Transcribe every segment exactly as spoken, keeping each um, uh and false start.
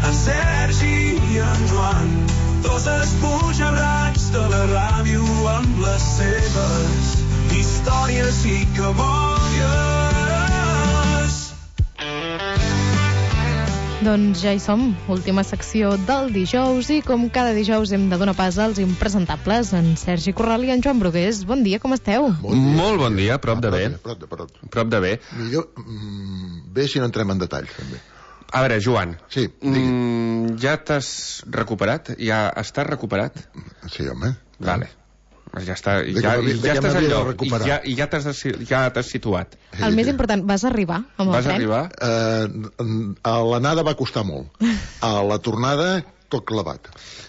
en Sergi i en Joan, dos esbojarrats de la ràdio amb les seves històries i cabòries. Doncs ja hi som, última secció del dijous, i com cada dijous hem de donar pas als impresentables, en Sergi Corral i en Joan Brugués. Bon dia, com esteu? Bon dia. Molt bon dia, prop de bé. Prop de, prop. Prop de bé. Millor, mm, bé si no entrem en detalls, també. A veure, Joan. Sí, digui. Mm, ja t'has recuperat? Ja estàs recuperat? Sí, home. Vale. Ja està, De ja, que ja estàs m'havia al de lloc, i recuperar. ja, i ja t'has ja t'has situat. El més important, vas arribar amb el Vas tren? arribar? Eh, a l'anada va costar molt. A la tornada, tot clavat.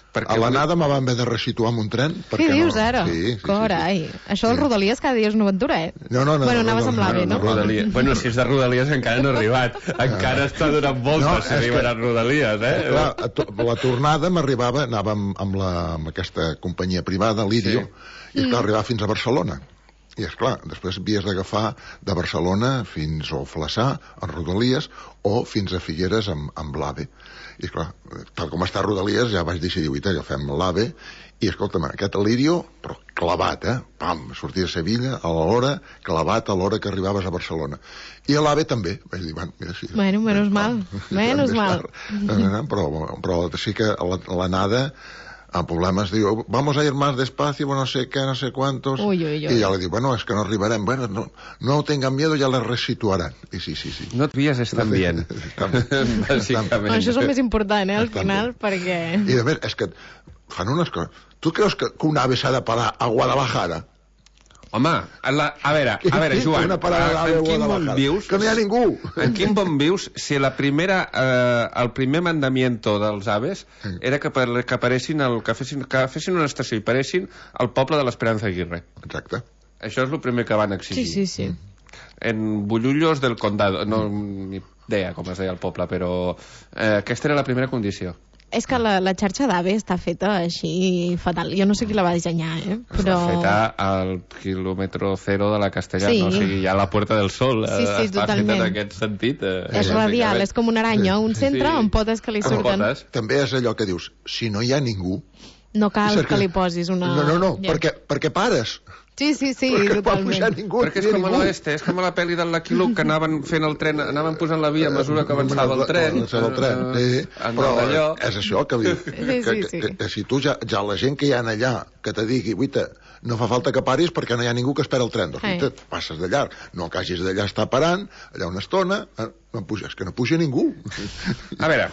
Perquè A l'anada me van haver de resituar amb un tren. Què dius, no... ara? Sí, sí, Carai. sí, sí. Això del Rodalies cada dia és una aventura, eh? No, no, no. Bueno, no, anaves no, amb no, l'AVE, no? no, Rodalia. Bueno, si és de Rodalies encara no ha arribat. Encara està donant voltes No, si és arribarà que- a Rodalies, eh? Clar, a to- la tornada m'arribava, anava amb, amb, la, amb aquesta companyia privada, l'Idio, Sí. i esclar, arribava fins a Barcelona. I esclar, després havies d'agafar de Barcelona fins a Flaçà, en Rodalies, o fins a Figueres amb, amb l'AVE. I esclar, tal com està Rodalies, ja vaig decidir, uita, agafem l'AVE, i escolta'm, aquest Lírio, però clavat, eh? Pam, sortia a Sevilla a l'hora, clavat a l'hora que arribaves a Barcelona. I a l'AVE també. Vaig dir, bueno, mira, sí. Bueno, menos mal, menos mal. Però, però sí que la- l'anada... El problema es diu, vamos a ir más despacio, no sé qué, no sé cuántos. Uy, uy, uy. Y ya le digo, bueno, es que no arribarem. Bueno, no, no tengan miedo, ya les resituarán. I sí, sí, sí. No et vies estan bien. Bàsicament. Això és el més important, eh, al Estan final, bé. perquè... I de més, és que fan unes coses... Tu creus que, que un ave s'ha de parar a Guadalajara? Home, a, la, a veure, a veure, Joan, Una parada a- d'ave a en quin món Guadalajara. vius? Que no hi ha ningú. En quin món vius si la primera, eh, el primer mandamiento dels aves era que, per, que aparessin, el, que, fessin, que fessin una estació i paressin al poble de l'Esperanza Aguirre. Exacte. Això és el primer que van exigir. Sí, sí, sí. En Bullullos del Condado, no ni idea com es deia el poble, però eh, aquesta era la primera condició. És que la, la xarxa d'AVE està feta així fatal. Jo no sé qui la va dissenyar, eh? Però... Però... Està feta al quilòmetre zero de la Castellana, Sí. o sigui, ja a la Puerta del Sol. Sí, sí, eh, està totalment. feta en aquest sentit. Eh, És radial, és com una aranya, un centre Sí. amb potes que li Amb surten. potes. També és allò que dius, si no hi ha ningú... No cal és que li posis una... No, no, no, Ja. perquè, perquè pares. Sí, sí, sí, perquè no va pujar totalment. ningú. Perquè és no hi ha com a ningú. l'oeste, és com a la pel·li del Lucky Luke, que anaven fent el tren, anaven posant la via a mesura que avançava el tren. Avançava el tren, sí. En Però allò. és això que diu. sí, que, sí. que, que, que si tu ja, ja la gent que hi ha allà, que te digui, uita, no fa falta que paris perquè no hi ha ningú que espera el tren. Doncs, Eh. uita, passes de llarg. No que hagis d'allà estar parant, allà una estona, eh, no puja, és que no puja ningú. A veure,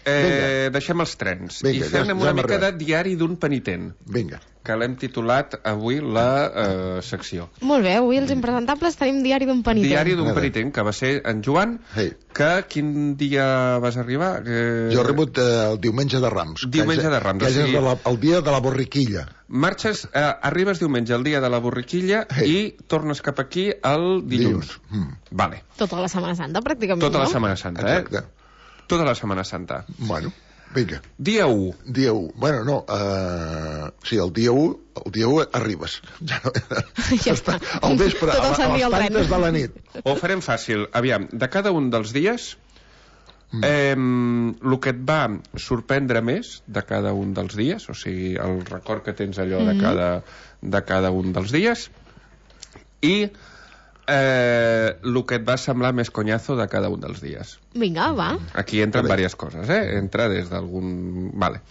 eh, deixem els trens Vinga, i fem ja- ja una hem mica de arribat. diari d'un penitent, Vinga. que l'hem titulat avui la eh, secció. Molt bé, avui els impresentables tenim diari d'un penitent. Diari d'un A veure. penitent, que va ser en Joan, Hey. que quin dia vas arribar? Que... Jo he rebut eh, el diumenge de Rams. Diumenge que és- de Rams, Que o és sigui- de la, el dia de la borriquilla. Marxes, eh, arribes diumenge, el dia de la borriquilla, Hey. i tornes cap aquí el dilluns. Dilluns. Mm. Vale. Tota la Setmana Santa, pràcticament, Tota la no? Setmana Santa, eh? Exacte. Tota la Setmana Santa. Bueno, vinga. Dia u. Dia u. Bueno, no, uh, sí, el dia u, el dia u arribes. Ja, no, Ja està. Al vespre, Tot el a, sant a dia les al tren. tantes de la nit. Ho farem fàcil. Aviam, de cada un dels dies, mm. eh, el que et va sorprendre més de cada un dels dies, o sigui, el record que tens allò de, cada, de cada un dels dies, i eh, el que et va semblar més conyazo de cada un dels dies. Vinga, va. Aquí entren Vale. diverses coses, eh? Entra des d'algun... Vale.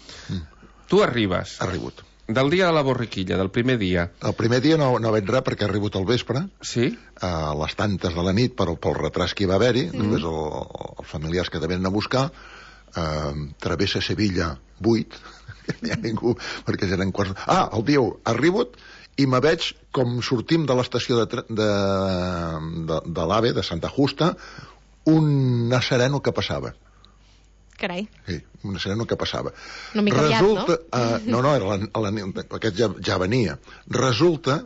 Tu arribes Ha arribat. del dia de la borriquilla, del primer dia. El primer dia no, no vaig res perquè ha arribat al vespre, Sí? a les tantes de la nit, pel, pel retras que hi va haver-hi, mm. després el, els familiars que te venen a buscar, eh, travessa Sevilla vuit, no hi ha ningú, perquè ja eren quarts... Ah, el dia u, ha arribat, i me veig com sortim de l'estació de, tre- de, de, de l'AVE, de Santa Justa, un nazareno que passava. Carai. Sí, un sereno que passava. Una mica aviat, Resulta, uh, no? No, era la, la, aquest ja, ja venia. Resulta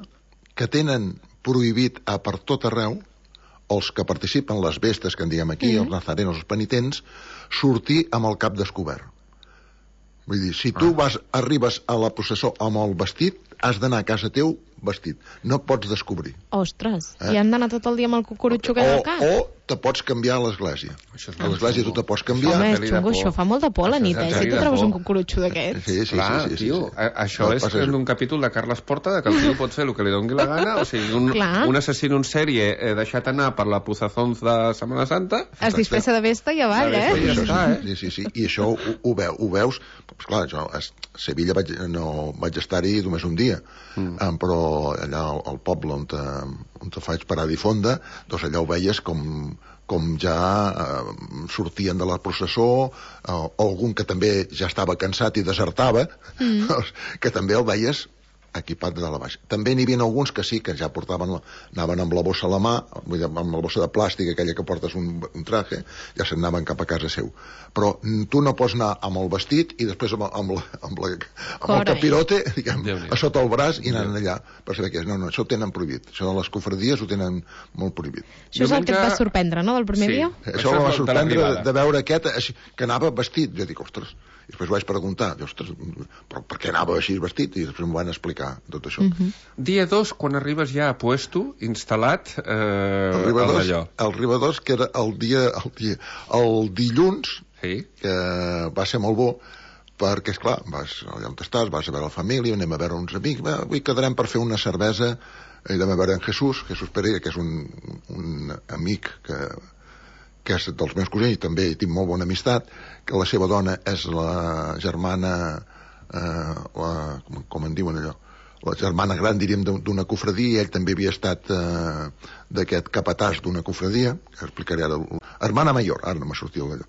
que tenen prohibit a per tot arreu els que participen, les bestes que en diem aquí, mm-hmm. els nazarenos, els penitents, sortir amb el cap descobert. Vull dir, si tu vas, arribes a la processó amb el vestit, has d'anar a casa teu vestit. No pots descobrir. Ostres, Eh? i han d'anar tot el dia amb el cucurutxo que O, al cap? o te pots canviar a l'església. Això és A molt l'església tu xungo. te pots canviar. Home, és peli de xungo, por. això fa molt de por a la Això és nit, eh? una Si peli tu de trobes por. un cucurutxo d'aquests. Sí, sí, Clar, sí, sí, sí, tio, sí. a- això El és passa és- un capítol de Carles Porta, de que el tio pot fer el que li doni la gana, o sigui, un, Clar. un assassí en sèrie eh, deixat anar per la Puzazons de Setmana Santa. Es disfressa de besta i avall, De eh? besta i Això, està, eh? sí, sí, sí. I això ho, ho, veu, ho veus... Pues clar, jo a Sevilla vaig, no, vaig estar-hi només un dia, mm. um, però allà al, al poble on te, on te faig parar i fonda, doncs allà ho veies com, com ja eh, sortien de la processó, eh, o algun que també ja estava cansat i desertava, mm. doncs, que també el veies equipat de dalt a baix. També n'hi havia alguns que sí, que ja portaven la, anaven amb la bossa a la mà, vull dir, amb la bossa de plàstic, aquella que portes un, un traje, ja se'n anaven cap a casa seu. Però mm, tu no pots anar amb el vestit i després amb, amb, la, amb, la, amb el Carai. capirote, diguem, Déu-n'hi-do. a sota el braç i anant allà per saber què és. No, no, això ho tenen prohibit. Això de les cofradies ho tenen molt prohibit. Això és el que et va Diumenge- sorprendre, no?, del primer Sí. dia? Això, Això em és va de la sorprendre de, privada. de veure aquest així, que anava vestit. Jo dic, ostres, i després vaig preguntar, dic, ostres, però per què anava així vestit? I després m'ho van explicar, tot això. Mhm. Dia dos, quan arribes ja a puesto, instal·lat, eh, El al Ribadors, d'allò. el Ribadors, que era el dia, el dia, el dilluns, Sí. que va ser molt bo, perquè, esclar, vas allà on estàs, vas a veure la família, anem a veure uns amics, va, avui quedarem per fer una cervesa, i anem a veure en Jesús, Jesús Pereira, que és un, un amic que, que és dels meus cosins, i també tinc molt bona amistat, que la seva dona és la germana, eh, la, com, com en diuen allò, la germana gran, diríem, d'una cofradia, i ell també havia estat eh, d'aquest capatàs d'una cofradia, que explicaré ara, hermana mayor, ara no m'ha sortit allò.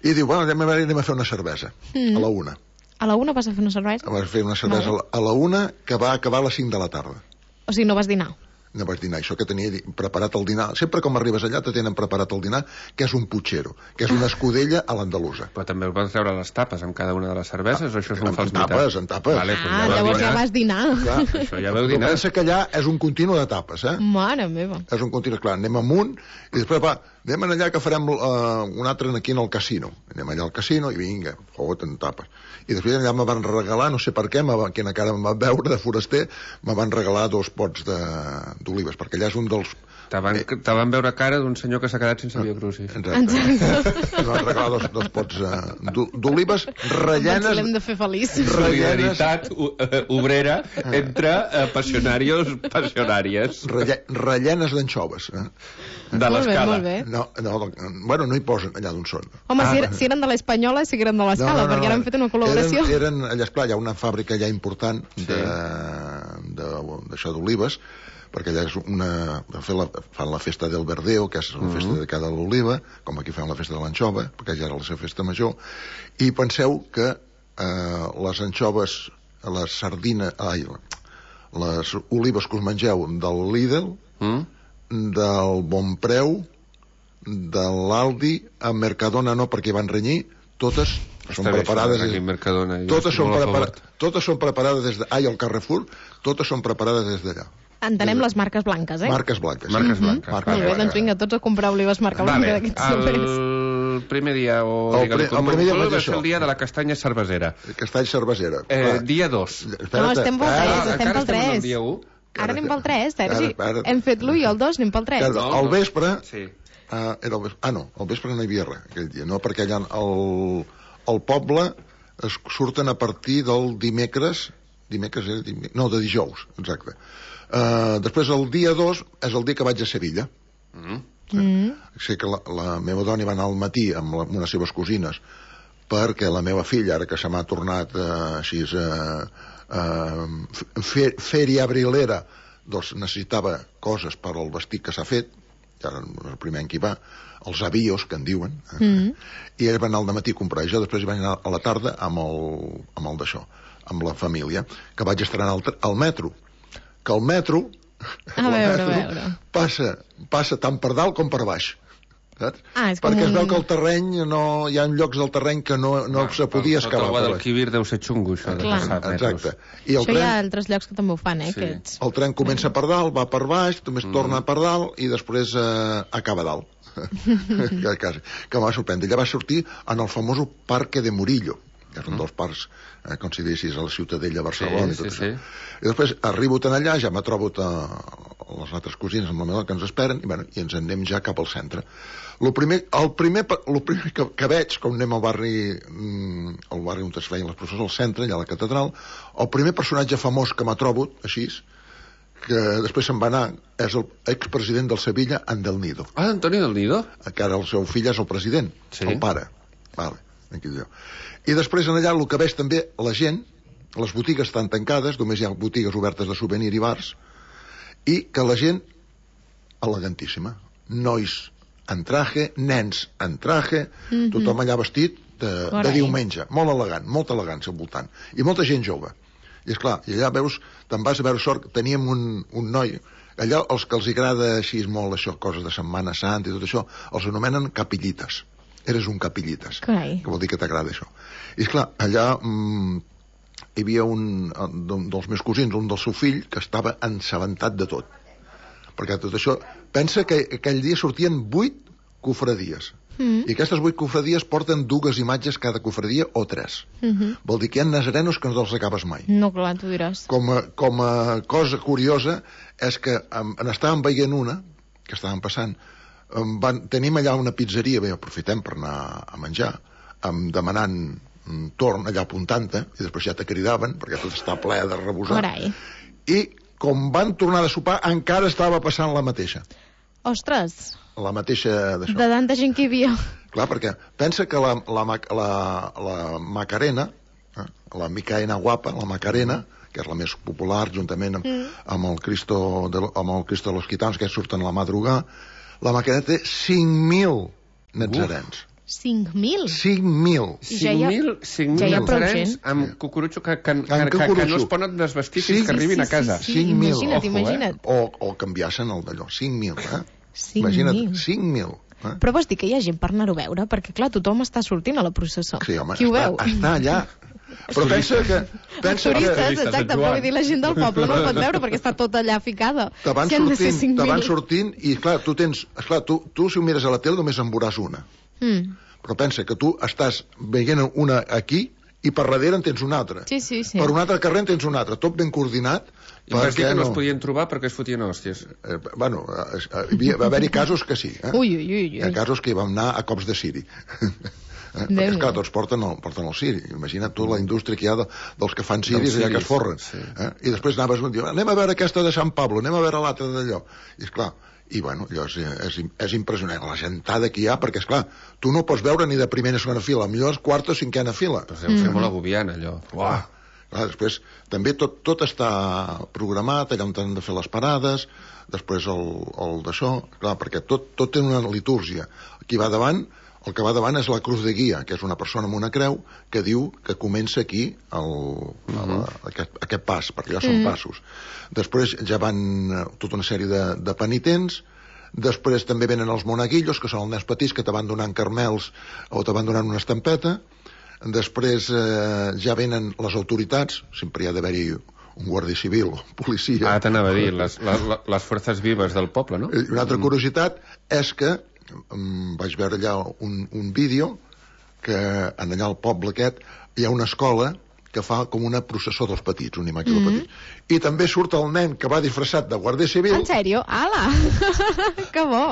I diu, bueno, anem a, veure, anem a fer una cervesa, mm. a la una. A la una vas a fer una cervesa? Vas fer una cervesa Vale. a la una, que va acabar a les cinc de la tarda. O sigui, no vas dinar? No vaig dinar, això que tenia di- preparat el dinar. Sempre com arribes allà te tenen preparat el dinar, que és un puchero, que és una escudella a l'andalusa. Però també us van treure les tapes amb cada una de les cerveses, o això és un En fals tapes, mitat? en tapes. Vale, doncs Ah, ja vau llavors dinar. ja vas dinar. Clar, Això ja veu el que dinar. pensa que allà és un continu de tapes, eh? Mare meva. És un continu, clar, anem amunt i després va, anem allà que farem uh, un altre aquí en el casino. Anem allà al casino i vinga, fot en tapes. I després allà me van regalar, no sé per què, me va, quina cara em va veure de foraster, me van regalar dos pots de- d'olives, perquè allà és un dels... Te van, te van veure cara d'un senyor que s'ha quedat sense biocrucis. Exacte. Exacte. Me van regalar dos, dos pots uh, d'o- d'olives Doncs rellenes... l'hem de fer feliç. Solidaritat u- eh, obrera entre eh, passionarios passionàries Relle, rellenes d'anxoves. Eh? de Molt bé, l'escala. molt bé. No, no, bueno, no hi posen allà d'on són. Home, Ah, si, er, si eren de l'Espanyola, sí que eren de l'escala, perquè ara han fet una col·laboració. Eren, eren allà, esclar, hi ha una fàbrica allà important de, de, d'això d'olives, perquè allà és una, fan, la, fan la festa del verdeo, que és la festa dedicada a l'oliva, com aquí fan la festa de l'anxova, perquè ja era la seva festa major, i penseu que eh, les anxoves, les sardines, ai, les olives que us mengeu del Lidl, Mm? del Bonpreu, de l'Aldi, a Mercadona no, perquè van renyir, totes són Està bé, preparades... això, aquí a Mercadona, jo totes, estic són molt a prepara, favor. totes són preparades des de... Ai, al Carrefour, totes són preparades des d'allà. Entenem les marques blanques, eh? Marques blanques. Marques sí. blanques. Marques Molt bé, blanques. doncs vinga, tots a comprar olives marca blanca Vale, d'aquests súpers. el primer dia, o El digue-li pri- com el primer dia vulgueu, vaig va això. ser el dia de la castanya cervesera. Castall Cervesera. Eh, Clar. dia dos. Espera't, No, estem pel espera't, tres, Ah, estem encara pel estem en el tres. dia u? Ara anem pel tres, Sergi. Espera't, espera't. Hem fet l'u i el dos, anem pel tres. Espera't, No, al no. vespre... Sí. Uh, era el vespre... Ah, no, al vespre no hi havia res aquell dia, no? Perquè allà el, el poble es surten a partir del dimecres, dimecres era dimecres, no, de dijous, exacte. Uh, després el dia dos és el dia que vaig a Sevilla. Mm. Mm. Sé que la, la meva dona hi va anar al matí amb, la, amb unes seves cosines perquè la meva filla, ara que se m'ha tornat uh, així uh, uh, fe, fèria abrilera, doncs necessitava coses per al vestit que s'ha fet, ja el primer any que hi va, els avios, que en diuen, eh? Mm. I ell va anar al matí a comprar, i jo després hi vaig anar a la tarda amb el, amb el d'això, amb la família, que vaig estar al, al metro, que el metro, A el veure, a metro veure. passa, passa tant per dalt com per baix, saps? Ah, és com perquè un- es veu que el terreny no, hi ha llocs del terreny que no, no se podia Sota escalar el per baix. Guadalquivir deu ser xungo, això de Clar. passar metros. Exacte. I el Això hi ha tren, altres llocs que també ho fan, eh, Sí. aquests. el tren comença per dalt, va per baix, només Mm. torna per dalt i després eh, acaba a dalt. que, quasi, que em va sorprendre. Ella va sortir en el famós Parque de Murillo. que és un dels parcs, eh, com si diguessis, a la Ciutadella, a Barcelona, sí, i tot sí, això. sí. I després arribo tan allà, ja me trobo a les altres cosines amb la meva que ens esperen, i, bueno, i ens anem ja cap al centre. Lo primer, el primer, lo primer que, que veig, com anem al barri, mm, al barri on es feien les processons, al centre, allà a la catedral, el primer personatge famós que m'ha trobat, així, que després se'n va anar, és el expresident del Sevilla, en Del Nido. Ah, Antonio Del Nido? Que ara el seu fill és el president, sí. El pare. Vale, aquí diu. I després en allà el que veig també, la gent, les botigues estan tancades, només hi ha botigues obertes de souvenir i bars, i que la gent, elegantíssima, nois en traje, nens en traje, mm-hmm. tothom allà vestit de, de diumenge, molt elegant, molta elegància al voltant, i molta gent jove. I és clar, i allà veus, te'n vas a veure sort, teníem un, un noi, allà els que els agrada així molt això, coses de Setmana Santa i tot això, els anomenen capillites. Eres un capillites, Carai. Que vol dir que t'agrada això. I és clar, allà mm, hi havia un, un dels meus cosins, un del seu fill, que estava ensabentat de tot. Perquè tot això, pensa que aquell dia sortien vuit cofradies. Mm. I aquestes vuit cofradies porten dues imatges cada cofradia o tres. Mm-hmm. Vol dir que hi ha nazarenos que no els acabes mai. No, clar, tu diràs. Com a, com a cosa curiosa és que en, en estàvem veient una, que estàvem passant, van, tenim allà una pizzeria, bé, aprofitem per anar a menjar, amb, demanant un torn allà apuntant-te, i després ja te cridaven, perquè tot està ple de rebosar. Carai. I com van tornar de sopar, encara estava passant la mateixa. Ostres! La mateixa d'això. De tanta gent que hi havia. Clar, perquè pensa que la, la, la, la Macarena, eh, la Micaena guapa, la Macarena, que és la més popular, juntament amb, mm. amb, el, Cristo de, amb el Cristo de los Gitanos, que surten a la madrugada, la Macarena té cinc mil natzarens. cinc mil? cinc mil. cinc mil ja natzarens amb cucurutxo que, que, que, que, que no es poden desvestir fins que arribin sí, sí, a casa. Sí, sí, sí. Imagina't, ojo, imagina't. Eh? O, o canviassen el d'allò, cinc mil, eh? cinc Imagina't, mil. cinc mil. Eh? Però vols dir que hi ha gent per anar-ho a veure? Perquè, clar, tothom està sortint a la processó. Sí, home, qui ho està, veu? està allà. Però pensa que... Pensa turistes, que... exacte, però vull dir, la gent del poble no el pot veure perquè està tot allà ficada. Te van si sortint, te van sortint i, clar, tu tens... Esclar, tu, tu si ho mires a la tele només en veuràs una. Mm. Però pensa que tu estàs veient una aquí i per darrere en tens una altra. Sí, sí, sí. Per un altre carrer en tens una altra. Tot ben coordinat. I em vas dir que no es podien trobar perquè es fotien hòsties. Eh, bueno, eh, eh, va haver-hi casos que sí. Eh? Ui, ui, ui, ui. Hi ha casos que hi vam anar a cops de ciri. Eh? Perquè, esclar, tots porten el, porten el ciri. Imagina't tu la indústria que hi ha de, dels que fan ciris allà que es forren. Sí. Eh? I després anaves un dia, anem a veure aquesta de Sant Pablo, anem a veure l'altra d'allò. I esclar, i bueno, allò és, és, és impressionant, la gentada que hi ha, perquè esclar, tu no pots veure ni de primera o segona fila, millor és quarta o cinquena fila. Però deu ser mm. molt agobiant, allò. Uah. Clar, després també tot, tot està programat, allà on han de fer les parades, després el, el d'això, clar, perquè tot, tot té una litúrgia. Qui va davant, el que va davant és la cruz de guia, que és una persona amb una creu que diu que comença aquí el, uh-huh. el, aquest, aquest pas, perquè ja són uh-huh. passos. Després ja van tota una sèrie de, de penitents, després també venen els monaguillos, que són els nens petits que te van donant carmels o te van donant una estampeta. Després eh, ja venen les autoritats, sempre hi ha d'haver-hi un guàrdia civil, policia... Ah, t'anava a dir, les, les, les forces vives del poble, no? I una altra curiositat és que um, vaig veure allà un, un vídeo que en allà al poble aquest hi ha una escola que fa com una processó dels petits, una imatge mm-hmm. dels petits. I també surt el nen que va disfressat de guàrdia civil... En sèrio? Ala! Que bo!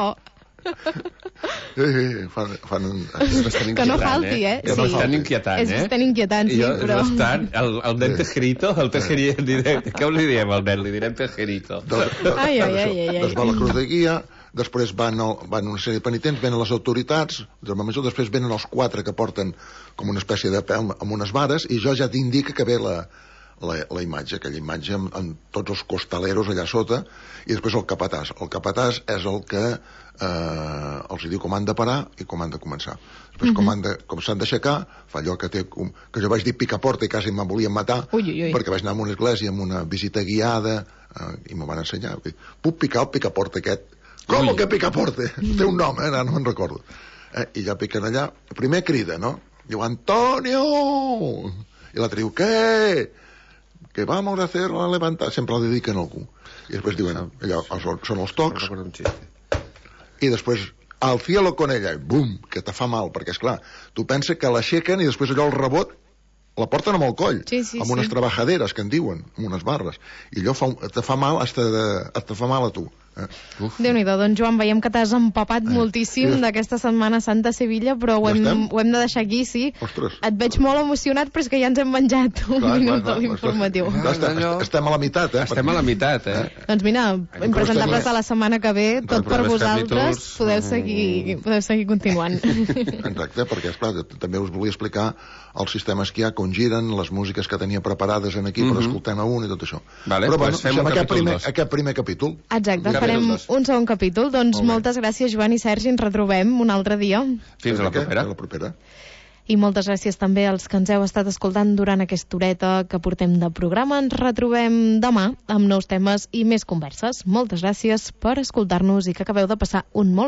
Sí, sí, fan, fan un... que no falti, eh? És sí. bastant inquietant, és eh? És bastant inquietant, sí, jo, però... És bastant... El, el nen tejerito, el tejerito... Què li diem al nen? Li direm tejerito. Doncs, ai, ai, ai, ai, ai. Doncs va la cruz de guia, després van, el, van una sèrie de penitents, venen les autoritats, després venen els quatre que porten com una espècie de pèl amb unes vares, i jo ja t'indica que ve la, la, la imatge, aquella imatge amb, amb tots els costaleros allà sota, i després el capatàs. El capatàs és el que eh, els diu com han de parar i com han de començar. Després, mm-hmm. com, han de, com s'han d'aixecar, fa allò que té... Com, que jo vaig dir picaporta i quasi me'n volien matar, ui, ui, ui. perquè vaig anar a una església amb una visita guiada eh, i m'ho van ensenyar. Puc picar el picaporta aquest? Com que picaporta? Té un nom, eh? No, no me'n recordo. Eh, I ja piquen allà. Primer crida, no? Diu, Antonio! I l'altre diu, què? Que vamos a hacer la levantada. Sempre el dediquen a algú. I després diuen, allò, són els tocs, i després, al cielo con ella, i bum, que te fa mal, perquè, esclar, tu pensa que l'aixequen i després allò el rebot la porten amb el coll, sí, sí, amb unes sí. trebajaderes, que en diuen, amb unes barres, i allò fa, te fa mal, hasta de, te fa mal a tu. Eh? Déu-n'hi-do, doncs Joan, veiem que t'has empapat eh. moltíssim sí. d'aquesta Setmana Santa a Sevilla, però ho, ja hem, ho hem de deixar aquí, sí. Ostres. Et veig molt emocionat, però és que ja ens hem menjat un clar, minut clar, de l'informatiu. Clar, estem, estem a la meitat, eh? Estem a la meitat, eh? Doncs mira, impresentables de la setmana que ve, tot per vosaltres, podeu seguir, podeu seguir continuant. Exacte, perquè, esclar, també us volia explicar els sistemes que hi ha, com giren, les músiques que tenia preparades en aquí per escoltar a un i tot això. Vale, però pues bueno, fem un aquest capítol primer, dos. aquest primer capítol. Exacte, farem un segon capítol. Doncs moltes gràcies, Joan i Sergi, ens retrobem un altre dia. Fins a la propera. A la propera. I moltes gràcies també als que ens heu estat escoltant durant aquesta horeta que portem de programa. Ens retrobem demà amb nous temes i més converses. Moltes gràcies per escoltar-nos i que acabeu de passar un molt